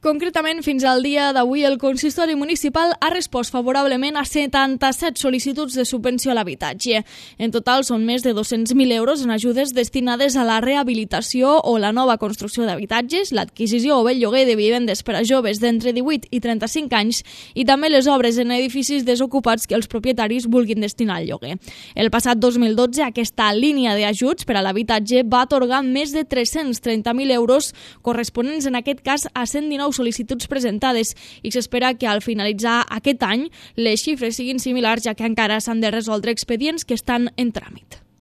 Concretament, fins al dia d'avui, el consistori municipal ha respost favorablement a 77 sol·licituds de subvenció a l'habitatge. En total, són més de 200.000 euros en ajudes destinades a la rehabilitació o la nova construcció d'habitatges, l'adquisició o el lloguer de vivendes per a joves d'entre 18 i 35 anys i també les obres en edificis desocupats que els propietaris vulguin destinar al lloguer. El passat 2012, aquesta línia d'ajuts per a l'habitatge va atorgar més de 330.000 euros, corresponents en aquest cas a 119 sol·licituds presentades, i s'espera que al finalitzar aquest any les xifres siguin similars, ja que encara s'han de resoldre expedients que estan en tràmit.